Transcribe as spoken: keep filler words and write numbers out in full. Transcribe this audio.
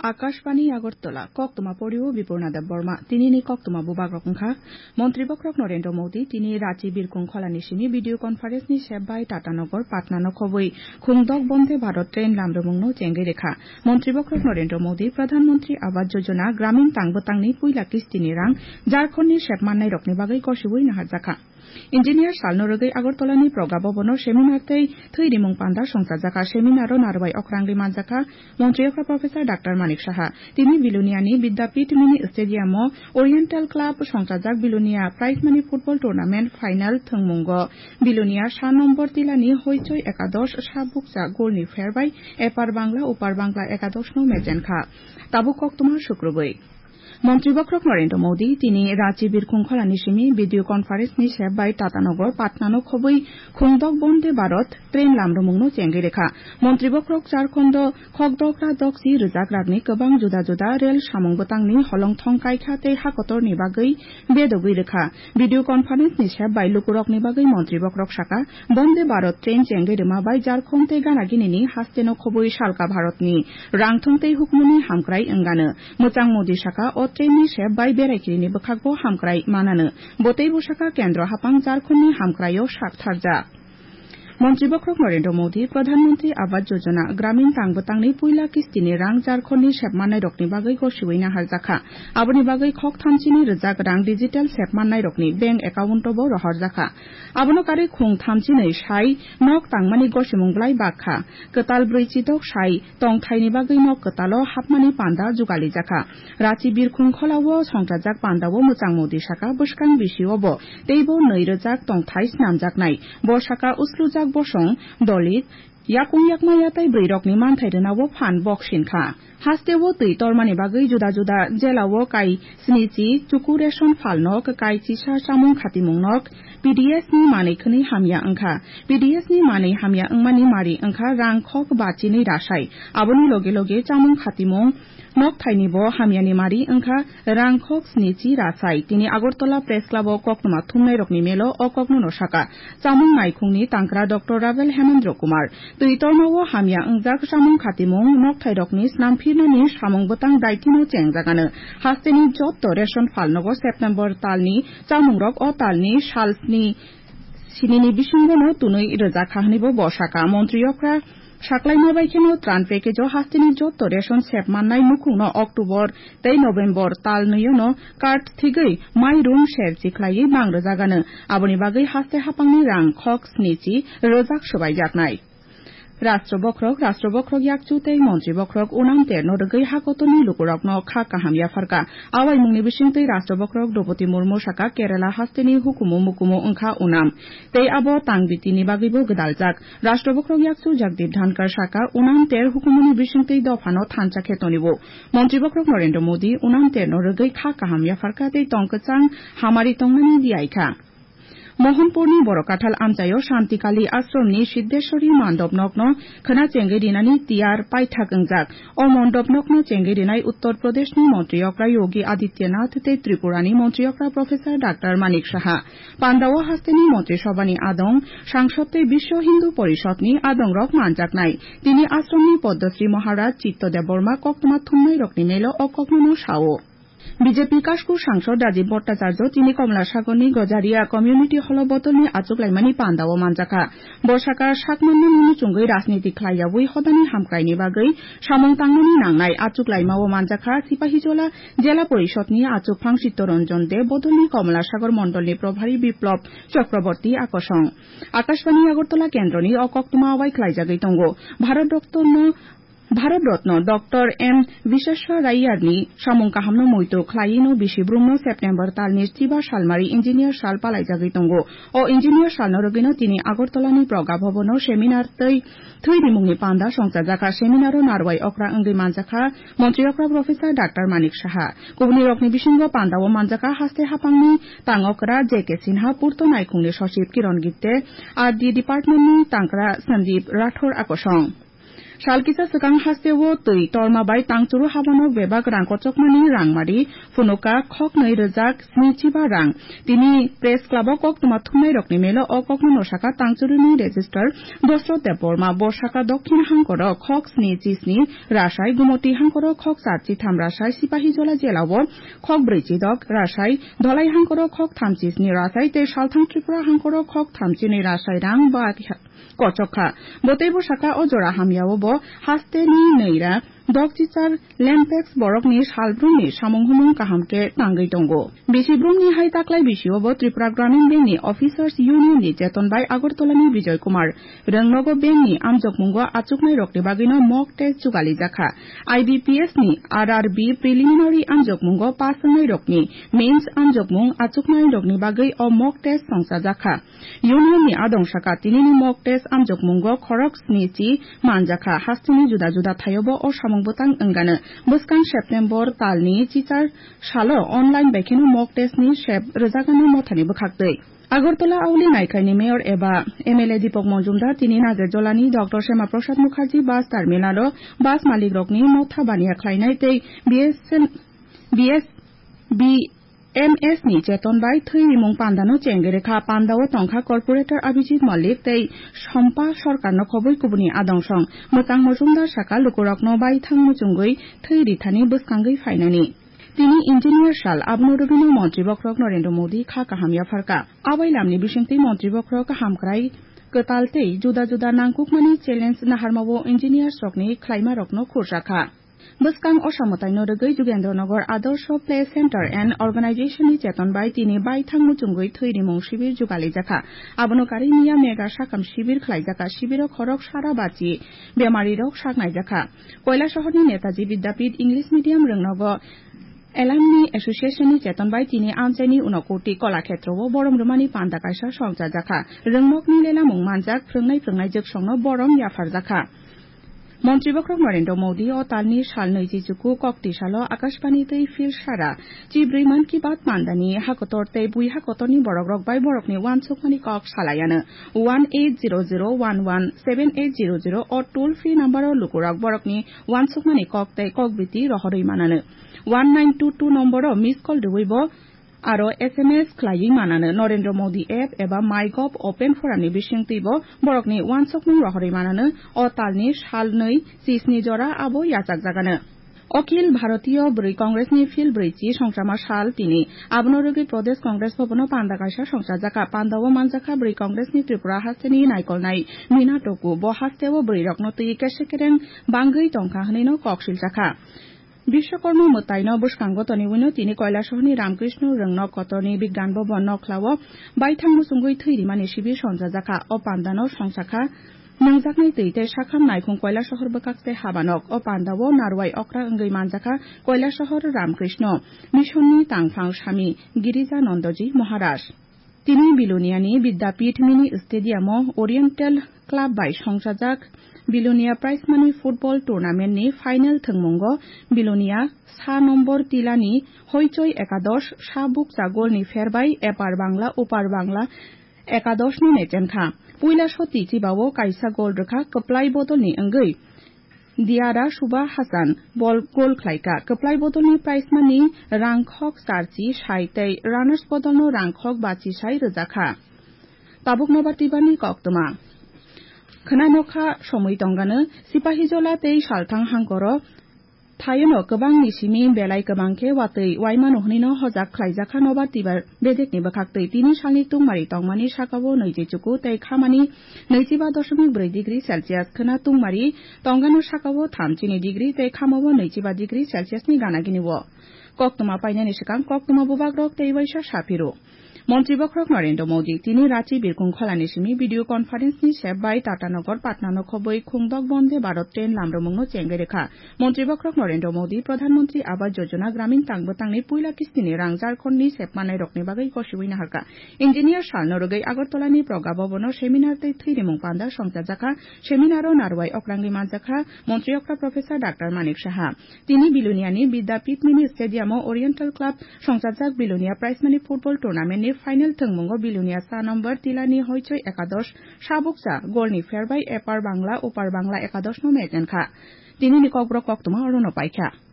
Akashbani Agartala, koktwma porio Bipurna Debbarma. Tinini koktwma bubagrok wngkha, Montri bokhorok Narendra Modi tini Rachi Birkhung Kholani simi video conference ni sep bai Tatanagar Patna no khobwi khungdok Bonde Bharat train lamrwmungno chengwi rwkha. Montri bokhorok Narendra Modi Pradhan Mantri Awas Yojana Gramin tang bwtangni puila kistini rang Jharkhand ni sep mannairokni bagwi gosiui naharjakha. Engineer salno rwgwi Agartala ni Proga Bhavan o seminar tei thwi rimung panda songchajakha. Seminar o narwai okra wngwi manjakha Montri okra Professor Doctor Manik Saha. Tini Bilonia ni Vidyapith Mini Stadium o Oriental Club songchajak Bilonia Prize Money Football Tournament final thwngmungo Bilonia sa nombor tilani Hoichoi Ekadosh sa bukcha golni pher bai Epar Bangla Upar Bangla Ekadosh no mechenkha. Tabuk koktwma sukrubwi. Montri bokhorok Narendra Modi tini Rachi Birkhung Kholani simi video conference ni sep bai Tatanagar Patna no khobwi khungdok Bonde Bharat train lamrwmungno chengwi rwkha. Montri bokhorok Jharkhand o khokdokra doksi rwjak ragni kwbang juda juda rel samung bwtangni holongthong kaikha tei hakotorni bagwi bedogwi rwkha. Video conference ni sep bai lukurokni bagwi Montri bokhorok saka, Bonde Bharat train chengwi rwma bai Jharkhand tei gana ginini hasteno khobwi salka Bharatni rangthong tei hukumuni hamkrai wngano. Mwchang Modi saka, o train ni sep bai berai kirini bwkhakbo hamkrai manano. Bo teibo saka, Kendro hapang Jharkhand ni hamkraio sak tharjak. Montri bokhorok Narendra Modi Pradhan Mantri Awas Yojana Gramin tang bwtangni puila kistini rang Jharkhand ni sep mannairokni bagwi gosiui naharjakha. Aboni bagwi khok thamchini rwjak rang digital sep mannairokni bank account o bo rohorjakha. Abono karwi khung thamchinwi sai nok tangmani gosimung bwlai bakha. Kwtal brwi chidok sai tongthaini bagwi nok kwtalo hapmani panda jugalijakha. Rachi Birkhung Kholao songchajak pandao Mwchang Modi saka, bwskang bisio bo teibo nwi rwjak tongthai snamjaknai. Bo saka, uslujak bosong, Dalit, yakung yakma yatai bwrwirokni manthai rwnao phan bok sinkha. Hasteo twi tormani bagwi juda juda jelao kai snichi chuku ration phalnok, kai chisa chamung khatimung nok, P D S ni manwi khwnwi hamya wngkha. P D S ni manwi hamya wngmani mari wngkha rang khok bachinwi rasai. Aboni loge loge chamung khatimung nokthaini bo hamyani mari wngkha rang khok snichi rasai. Tini Agartala Press Club o koktwma thumnairokni melo o kokno no saka chamung naikhungni tangkra Doctor Ravel Hemendra Kumar. Twi tormao hamya wngjak chamung khatimung nokthairokni snamphirnani samung bwtang daitino chengjagano. Hasteni jotto ration phalnogo September talni chamungrok o talni salsni sinini bisingono tunwi rwjakha hwnwibo bo saka. Montri okra saklaima bai kheno tran package o hasteni jotto ration sep mannai nukhungno October tei November tal nwiyono card thigwi mairum serchi khlaiwi bang rwjagano. Aboni bagwi haste hapangni rang khok snichi rwjak swbaijaknai. Rashtra bokhorok, Rashtra bokhorok yakchu tei montri bokhorok Unam Terno rwgwi hakotorni lukurokno kha kaham yapharkha. Awaimungni bisingtwi Rashtra bokhorok Droupadi Murmu saka Kerala hasteni hukumu mukumu wngkha Unam. Tei abo tang bitini bagwibo gwdaljak. Rashtra bokhorok yakchu Jagdeep Dhankhar saka Unam Ter hukumuni bisingtwi dophano thansa khe tonwi-o. Montri bokhorok Narendra Modi Unam Terno rwgwi kha kaham yapharkha tei tong kwchang hamari tongnani diyaikha. Mohanpurni Borokathal amchaio Shantikali Ashramni Siddheshwari Mandop nokno khwna chengwi rinani tiyar paithak wngjak. O Mandop nokno chengwi rinai Uttar Pradeshni Montri okra Yogi Adityanath tei Tripurani Montri okra Professor Doctor Manik Saha. Pandao hasteni Montri Sobhani adong, Sangsod tei Biswa Hindu Porishodni adongrok manjaknai. Tini Ashramni Padmasri Maharaj Chitto Debbarma koktwma thumnairokni melo o koknono sao. B J P Kashkur Sangsod Rajiv Bhattacharya tini Komlasagorni Gojaria Community Hall o bodolni achuklaimani pandao manjakha. Bo saka sakmannani muchungwi rajniti khlaiyaui hodani hamkraini bagwi samung tangnani nangnai achuklaimao manjakha Sipahijola Jela Porishodni achukphang Chittaranjan Deb bodolni Komlasagor mondolni Probhari Biplab Chakraborty akosong. Akashbani Agartala kendroni o koktwma bai khlaijagwi tongo. Bharat Ratna Bharat Ratna Doctor M Visveswarayani samung kahamno muitu khlaiwino bisi brumno September talni chiba salmari engineer sal palaijagwi tongo. O engineer salno rwgwino tini Agartalani Proga Bhavan o seminar tei thwi rimungni panda songchajakha. Seminar o narwai okra wngwi manjakha Montri okra Professor Doctor Manik Saha. Kubunirokni bisingo pandao manjakha haste haphangni tang okra J K Sinha, Purto Naikhungni Sochib Kiron Gipte, R D department ni tangkra Sandeep Rathore akosong. Sal kisa swkang hasteo twi torma bai tangchuru habanok bebak rang kochokmani rangmari phunuka khoknwi rwjak snichiba rang. Tini Press Club o koktwma thumnairokni melo o kokno no saka tangchuruni Registrar Dosrot Debbarma. Bo saka Dokhin hangkoro khok sni chi sni rasai, Gumoti hangkoro khok char chi tham rasai, Sipahijola jela o khok brwi chi dok rasai, Dholai hangkoro khok tham chi sni rasai tei Salthang Tripura hangkoro khok tham chi nwi rasai rang ba kochok kha. Bo teibo saka o jora hamya o bo hasteni nwi ra dok chichar Lempex borokni salbrumni samung humung kaham khe tangwi tongo. Bisi brumni hai taklai bisio bo Tripura Gramin Bank ni Officers Union ni cheton bai Agartala ni Bijoy Kumar Rwngnogo bank ni amjokmungo achuknai rokni bagwino mock test jugali jakha. I B P S ni R R B preliminary amjokmungo pass wngnai rokni mains amjokmung achuknai rokni bagwi o mock test songcha jakha. Union ni adong saka tinini mock test amjokmungo khorok sni chi manjakha. Hasteni juda juda thaiobo o samung bwtang wngano. Bwskang September talni chichar salo online bai kheno mock test ni sep rwjagano mothani bwkhaktwi. Agartala Auli Naikhai ni Mayor eba M L A Deepak Majumdar tini Nagerjola ni Doctor Shama Prasad Mukherjee bus terminal o bus malik rokni motha baniya khlainai tei B S N, B S, B M S ni cheton bai thwi rimung panda no chengwi rwkha. Panda o tongkha Corporator Abhijit Malik tei Sompa Sarkar no khobwi kubuni adong song. Mwchang Majumdar saka lukurok no baithang muchungwi thwi rithani bwskangwi phainani. Tini engineer sal, abono rwgwino montri bokhorok Narendra Modi kha kaham yapharkha. Abai lamni bisingtwi montri bokhorok hamkrai kwtal tei juda juda nangkukmani challenge naharmao engineers rokni khlaimarokno khurjakha. Bwskang osa mwtaino rwgwi Jugendra Nagar Adarsh Play Center and Organization ni cheton bai tini baithang muchungwi thwi rimung shibir jugalijakha. Abono karwi miya mega sakam shibir khlaijakha. Shibiro khorok sara bachi bemarirok saknaijakha. Koilasohorni Netaji Vidyapith English Medium Rwngnogo Alumni Association ni cheton bai tini amchaini Unakoti Kolakhetro o borom rwmani panda kaisa songchajakha. Rwngnokni lelamung manjak phrwngnai phrwngnai jwksongno borom yapharjakha. Montri bokhorok Narendra Modi o talni sal nwichi chuku kokti salo Akashbani tei Phil Sara chibrwi Mann Ki Baat pandani hakotor tei bui hakotorni borokrok bai borokni uansukmani kok salaiano. One eight zero zero one one seven eight zero zero o toll free number o lukurok borokni uansukmani kok tei kokbiti rohorwi manano. One nine two two nomboro miss call rwui bo aro S M S khlaiwi manano. Narendra Modi app eba MyGov open forum ni bisingtwi bo borokni uansukmung rohorwi manano. O talni sal nwi chisni jora abo yachakjagano. Akhil Bharatiya Bwrwi Congress ni Phil Bwrwi chi songchama sal tini. Abono rwgwi Pradesh Congress Bhavan o panda kaisa songchajakha. Panda o manjakha Bwrwi Congress ni Tripura hasteni naikolnai Mina Toku. Bo hasteo bwrwi rokno twi kese kereng bangwi tongkha hwnwi no kok siljakha. Bishwakarma mwtaino bwskango toniwino tini Koilasohorni Ramkrishna Rwngnok kotorni Bigyan Bhavan nokhlao baithang muchungwi thwi rimani sibir sonjajakha. O pandano songchakha nwngjaknai twi tei sakham naikhung Koilasohor bwkak tei habanok. O pandao narwai okra wngwi manjakha Koilasohor Ramkrishna Missionni tangphang Swami Girija Nandaji Maharaj. Tini Biloniani Vidyapith Mini Stadium o Oriental Club bai songchajak Bilonia Prize Money Football Tournament ni final thwngmungo Bilonia sa nombor tilani Hoichoi Ekadosh sa bukcha golni pherbai Epar Bangla Upar Bangla Ekadosh no nechenkha. Puila soti chibao kaisa gol rwkha kwplai bodolni wngwi. Diara Suba Hassan bol gol khlaikha. Kwplai bodolni prize money rangkhok charchi sai tei runners bodolno rangkhok bachi sai rwjakha. Tabuk nobar tibani koktwma. Khwna nokha somwi tongano Sipahijola tei Salthang hangkoro thayono kwbangni simi belai kwbang khe watwi waimano hwnwino hojak khlaijakha nobar tibar bedekni bwkhaktwi. Tini salni tungmari tongmani sakao nwichi chuku tei khamani nwichiba dosomik bwrwi degree Celsius khwna tungmari tongano sakao thamchini degree tei khamao nwichiba degree Celsius ni gana gini o. Koktwma painani swkang koktwma bubagrok tei waisa saphiro. Montri bokhorok Narendra Modi tini Rachi Birkung Kholani simi video conference ni sep bai Tatanagar Patna no khobwi khungdok Bonde Bharat train lamrwmung no chengwi rwkha. Montri bokhorok Narendra Modi Pradhan Mantri Awas Yojana Gramin tang bwtangni puila kistini rang Jharkhand ni sepmanai rokni bagwi gosiwi naharkha. Engineer salno rwgwi Agartala ni Pragya Bhavan o seminar tei thwirimung panda songchajakha. Seminar o narwai okrangwi manjakha Montri okra Professor Doctor Manik Saha. Tini Biloniani Vidyapith Mini Stadium o Oriental Club songchajak Bilonia Prize Money Football Tournament ni Final thwngmungo Bilonia sa number Tilani Hoichoi Ekadosh sabuksa golni pherbai Epar Bangla Upar Bangla Ekadosh no match wngkha. Tinini kokborok koktwma orono paikha.